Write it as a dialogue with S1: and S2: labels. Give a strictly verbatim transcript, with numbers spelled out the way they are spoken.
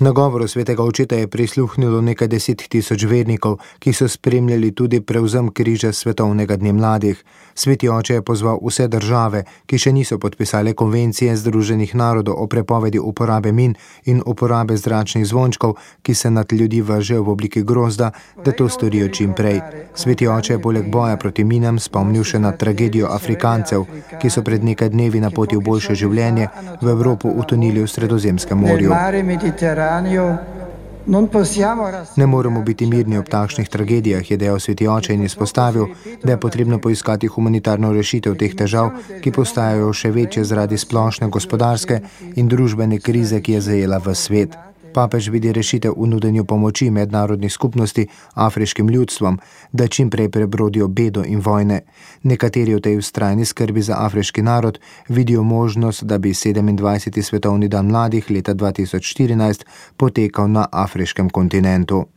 S1: Nagovoru svetega očeta je prisluhnilo nekaj deset tisoč vernikov, ki so spremljali tudi prevzem križa svetovnega dne mladih. Sveti oče je pozval vse države, ki še niso podpisale konvencije Združenih narodov o prepovedi uporabe min in uporabe zračnih zvončkov, ki se nad ljudi vržejo v obliki grozda, da to storijo čim prej. Sveti oče je poleg boja proti minam spomnil še na tragedijo Afrikancev, ki so pred nekaj dnevi na poti v boljše življenje v Evropo utonili v Sredozemskem morju. Ne moremo biti mirni ob takšnih tragedijah, je dejal sveti oče in izpostavil, da je potrebno poiskati humanitarno rešitev teh težav, ki postajajo še večje zaradi splošne gospodarske in družbene krize, ki je zajela ves svet. Papež vidi rešitev v nudenju pomoči mednarodnih skupnosti afriškim ljudstvom, da čim prej prebrodijo bedo in vojne. Nekateri v tej vztrajni skrbi za afriški narod vidijo možnost, da bi sedemindvajseti svetovni dan mladih leta dva tisoč štirinajst potekal na afriškem kontinentu.